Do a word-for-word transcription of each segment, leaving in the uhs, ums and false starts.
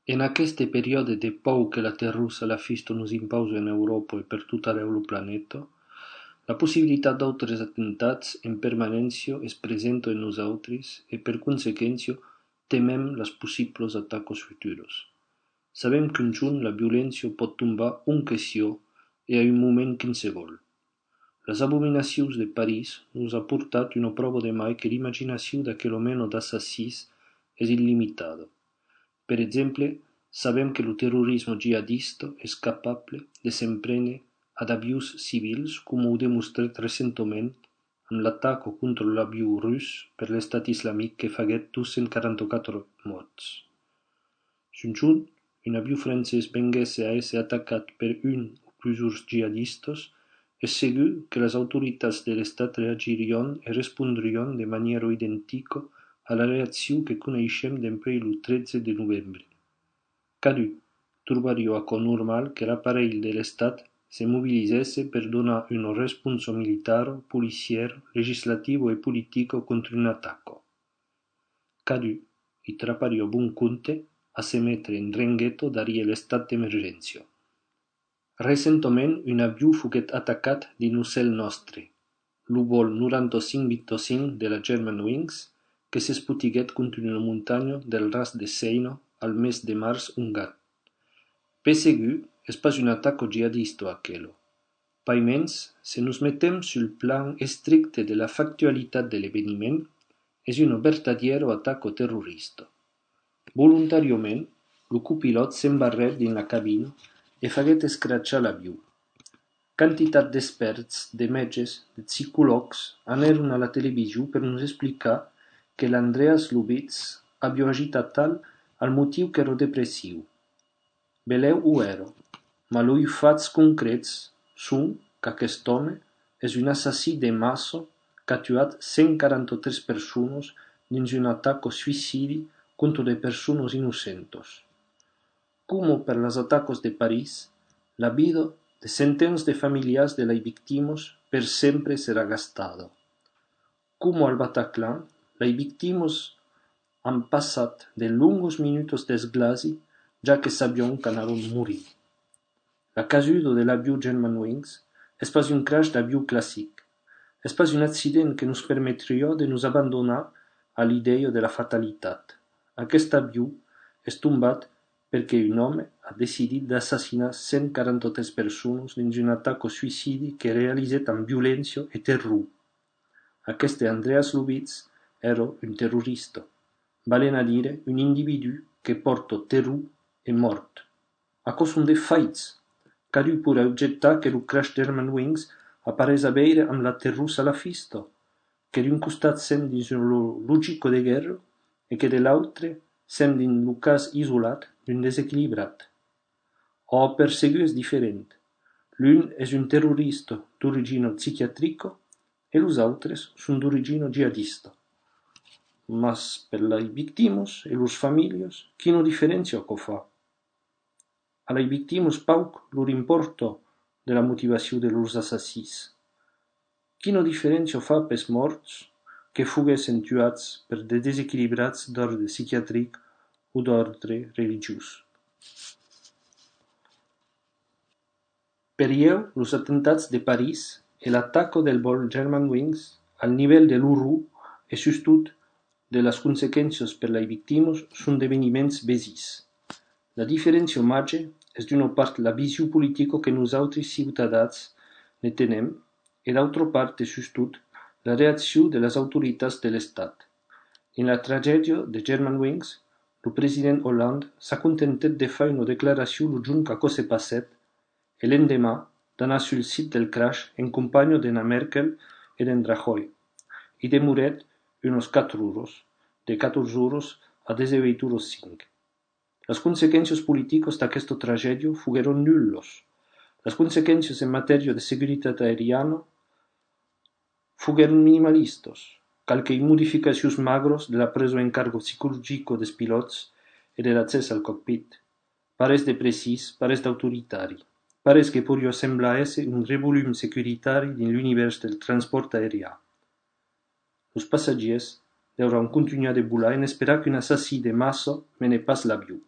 En aqueste periòde de paur que la terror salafista nos impausa en Euròpa e per tot arrèu lo planeta, la possibilitat d'autres atentats en permanéncia es presenta en nosautres e, per consequéncia, temèm las possiblas atacas futuras. Sabèm qu'un jorn la violéncia pòt tombar ont que siá e a un moment quinsevolh. Las abominacions de París nos a portat una pròva de mai que l'imaginacion d'aquela mena d'assassins es illimitada. Per exemple, sabèm que lo terrorisme jihadista es capable de s'en prene a d'avions civils, coma o demostrèt recentament amb l'ataca contra l'avion rus per l'Estat Islamic que faguèt dos cents quaranta-quatre mòrts. S'un jorn un avion francés venguèsse a èsser atacat per un o plusors jihadistas, es segur que las autoritats de l'Estat reagirián e respondrián de manièra identica a la reaccion que coneishem dempuèi lo tretze de novembre. Cadun trobariá aquò normal que l'aparelh de l'Estat se mobilizèsse per donar una responsa militara, policièra, legislativa e politica contra una ataca. Cadun i trapariá bon compte a se metre en drengueta darrièr l'estat d'emergéncia. Recentament, un avion foguèt atacat dins lo cèl nòstre, lo vòl noranta-cinc vint-e-cinc de la Germanwings, que s'espotiguèt contra una montanha del ras de Sèina al mes de març ongat. Per segur, es pas una ataca jihadista aquela. Paimens, se nos metèm sul plan estricte de la factualitat de l'eveniment, es una vertadièra ataca terrorista. Volontàriament, lo copilòt s'embarrèt dins la cabina e faguèt escrachar l'avion. Quantitat d'expèrts, de mètges, de psicològs anèron a la television per nos explicar que l'Andreas Lubitz aviá agit atal al motiu qu'èra depressiu. Belèu o èra, mas los fachs concrets son qu'aquest òme es un assassin de massa qu'a tuat cent quaranta-tres personas dins una ataca suïcidi contra de personas innocentas. Coma per las atacas de París, la vida de centens de familiars de las victimas per sempre serà gastada. Coma al Bataclan, las victimas an passat de longas minutas d'esglasi, ja que sabián qu'anarián morir. La casuda de l'avion Germanwings es pas un crash d'avion classic. Es pas un accident que nos permetriá de nos abandonar a l'idèia de la fatalitat. Aquest avion es tombat perque un òme a decidit d'assassinar cent quaranta-tres personas dins una ataca suïcidi que realizèt amb violéncia e terror. Aqueste Andreas Lubitz èra un terrorista, valent a dire un individú que pòrta terror e mòrt. Aquò son de faits. Cadun poirà objectar que lo crash Germanwings a pas res a veire amb la terror salafista, que d'un costat sèm dins una lo-, logica de guèrra e que de l'autre sèm dins lo cas isolat d'un desequilibrat. Ò, per segur es diferent. L'un es un terrorista d'origina psiquiatrica e los autres son d'origina jihadista. Mas per las victimas e lors familhas, quina diferéncia aquò fa? A las victimas pauc lor impòrta de la motivacion de lors assassins. Quina diferéncia fa pels mòrts que foguèssen tuats per de desequilibrats d'òrdre psiquiatric o d'òrdre religiós? Per ieu, los atentats de París e l'ataca del vòl Germanwings, al nivèl de l'orror e sustot de las consequéncias per las victimas, son d'eveniments vesins. La diferéncia màger es d'una part la vision politica que nosautres ciutadans ne tenèm e d'autra part e sustot la reaccion de las autoritats de l'Estat. Dins la tragèdia de Germanwings, lo president Hollande s'acontentèt de far una declaracion lo jorn qu'aquò se passèt e l'endeman d'anar sul sit del crash en companha d'ena Merkel e d'en Rajoy. I demorèt unas quatre oras, de catorze oras a dètz-e-uèit oras cinc. Las consequéncias politicas d'aquesta tragèdia foguèron nullas. Las consequéncias en matèria de seguretat aeriana foguèron minimalistas. Qualques modificacions magras de la presa en carga psicologica dels pilòts e de l'accès al cockpit. Pas res de precís, pas res d'autoritari. Pas res que poiriá semblar èsser un revolum securitari dins l'univèrs del transpòrt aerian. Los passatgièrs deuràn contunhar de volar en esperar qu'un assassin de massa mene pas l'avion.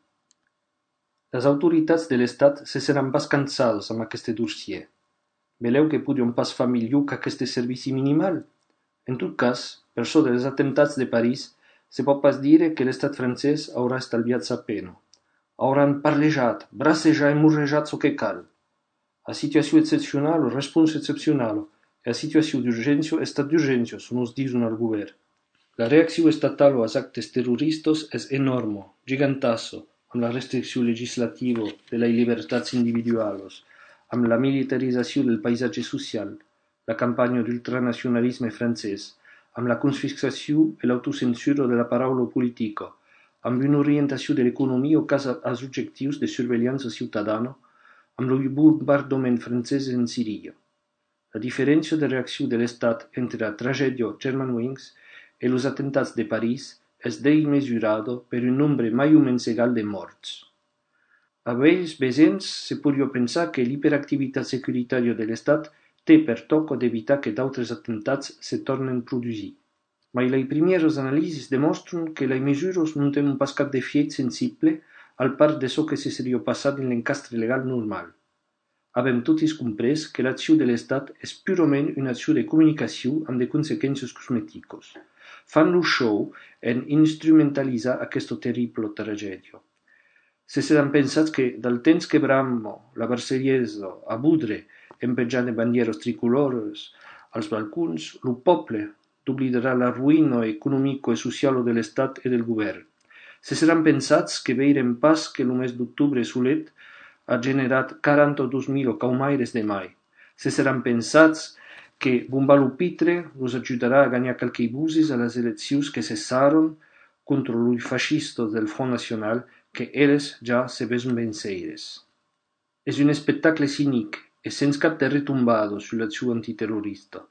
Las autoritats de l'Estat se seràn pas cansadas amb aqueste dossièr. Belèu que podián pas far milhor qu'aqueste servici minimal? En tot cas, per çò dels atemptats de París, se pòt pas dire que l'Estat francés aurà estalviat sa pena. Auràn parlejat, bracejat e morrejat çò que cal. A situacion excepcionala, responsa excepcionala, e a situacion d'urgéncia, estat d'urgéncia, çò nos dison al govèrn. La reaccion estatala als actes terroristas es enòrma, gigantassa, amb la restriccion legislativa de las libertats individualas, amb la militarizacion del paisatge social, la campanha d'ultranacionalisme francés, amb la confiscacion e l'autocensura de la paraula politica, amb una orientacion de l'economia quasi als objectius de survelhança ciutadana, amb lo bombardament francés en Siria. La diferéncia de reaccion de l'Estat entre la tragèdia Germanwings e los atemptats de París es desmesurada per un nombre mai o mens egal de mòrts. A bèls vesèms, se podiá pensar que l'iperactivitat securitària de l'Estat ten per tòca d'evitar que d'autres atemptats se tornen produsir. Mai las primièras analisis demòstran que las mesuras non tenon pas cap d'efièit sensible al part de çò que se seriá passat dins l'encastre legal normal. Avèm totis comprés que l'accion de l'Estat es purament una accion de comunicacion amb de consequéncias cosmeticas. Fan lo show en instrumentalizar aquesta terribla tragèdia. Se seràn pensats que, dal temps que brama la Marselhesa a Bodre, en penjant de bandièras tricolòras als balcons, lo pòble doblidarà la roïna economica e sociala de l'Estat e del govèrn. Se seràn pensats que veirem pas que lo mes d'octobre solet a generat quaranta-dos mila caumaires de mai. Se seràn pensats que bombar lo pitre los ajudarà a ganhar qualques voses a las eleccions que se sarran contra los fascistas del Front Nacional, que eles ja se veson venceires. Es un espectacle cinic e sens cap de retombada sus l'accion antiterrorista.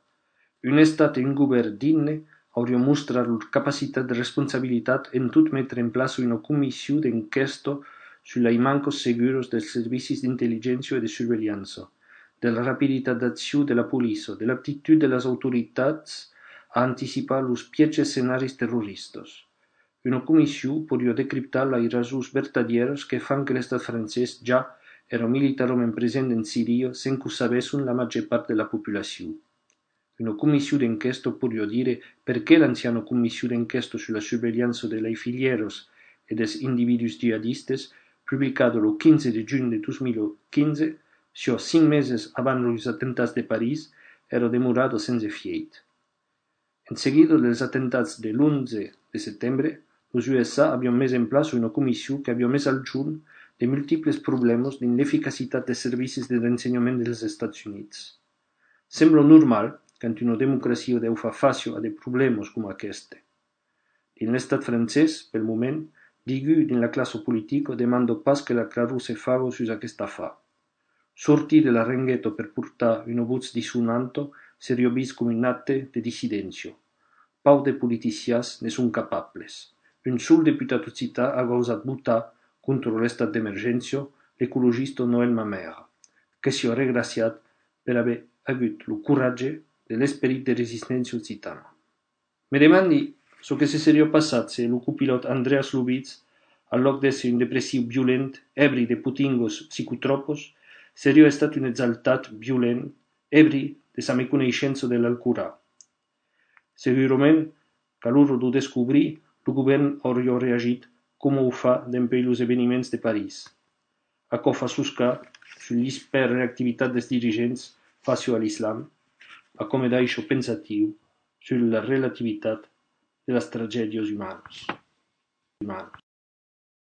Un Estat e un govèrn digne aurián mostrat lor capacitat de responsabilitat en tot metre en plaça una comission d'enquèsta sus las mancas seguras dels servicis d'intelligéncia e de survelhança, de la rapiditat d'accion de la poliça, de l'aptitud de las autoritats a anticipar los pièges escenaris terroristas. Una comission podiá decriptar las rasons vertadièras que fan que l'Estat francés ja èra militarament present en Siria sens qu'o sabèsson la màger part de la populacion. Una comission d'enquèsta podiá dire perqué l'anciana comission d'enquèsta sus la survelhança de las filhèras e dels individús jihadistas, publicada lo quinze de junh de dos mila quinze, siá cinc meses abans los atemptats de París, èra demorada sens efièit. En seguida dels atemptats de l'onze de setembre, los U S A avián mes en plaça una comission qu'aviá mes al jorn de multiples problèmas dins l'eficacitat dels servicis de rensenhament dels Estats Units. Sembla normal quand una democracia deu far fàcia a de problèmas coma aqueste. Dins l'estat francés, pel moment, degun dins la classa politica demanda pas que la claror se faga sus aqueste afar. Sortir de la rengueta per portar una votz dissonanta seriá vist coma un acte de dissidéncia. Pauc de politicians ne son capables. Un sol deputat occitan a gausat votar contra l'estat d'emergéncia, l'ecologista Noël Mamère, que siá regraciat per aver agut lo coratge de l'esperit de resisténcia occitana. Me demandi çò que se seriá passat se lo copilòt Andreas Lubitz, al lòc d'èsser un depressiu violent, èbri de potingas psicotròpas, seriá estat un exaltat violent, èbri de sa meconeishença de l'alcoran. Segurament, qu'a l'ora d'o descobrir, lo govèrn auriá reagit coma o fa dempuèi los eveniments de París. Aquò fa soscar sus l'isperreactivitat dels dirigents fàcia a l'islam, aquò me daissa pensatiu sus la relativitat de las tragèdias umanas.